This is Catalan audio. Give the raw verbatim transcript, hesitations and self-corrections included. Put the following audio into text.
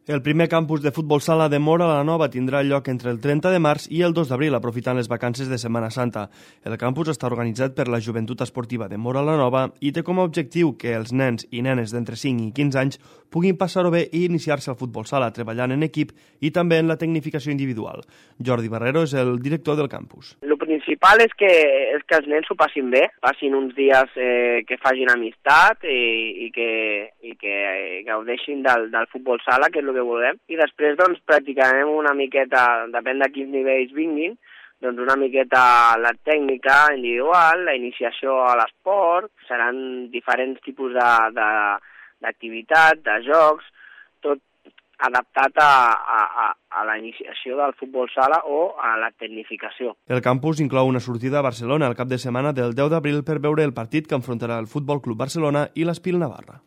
El primer campus de futbol sala de Móra la Nova tindrà lloc entre el trenta de març i el dos d'abril, aprofitant les vacances de Setmana Santa. El campus està organitzat per la Joventut Esportiva de Móra la Nova i té com a objectiu que els nens i nenes d'entre cinc i quinze anys puguin passar-ho bé i iniciar-se al futbol sala, treballant en equip i també en la tecnificació individual. Jordi Barrero és el director del campus. El principal és que, és que els nens s'ho passin bé, passin uns dies eh, que facin amistat i, i que, i que gaudeixin del, del futbol sala, que és el que volem, i després doncs practicarem una miqueta, depèn de quins nivells vinguin, doncs una miqueta la tècnica individual, la iniciació a l'esport, seran diferents tipus de, de, d'activitat, de jocs, tot adaptat a, a, a la iniciació del futbol sala o a la tecnificació. El campus inclou una sortida a Barcelona el cap de setmana del deu d'abril per veure el partit que enfrontarà el Futbol Club Barcelona i l'Espil Navarra.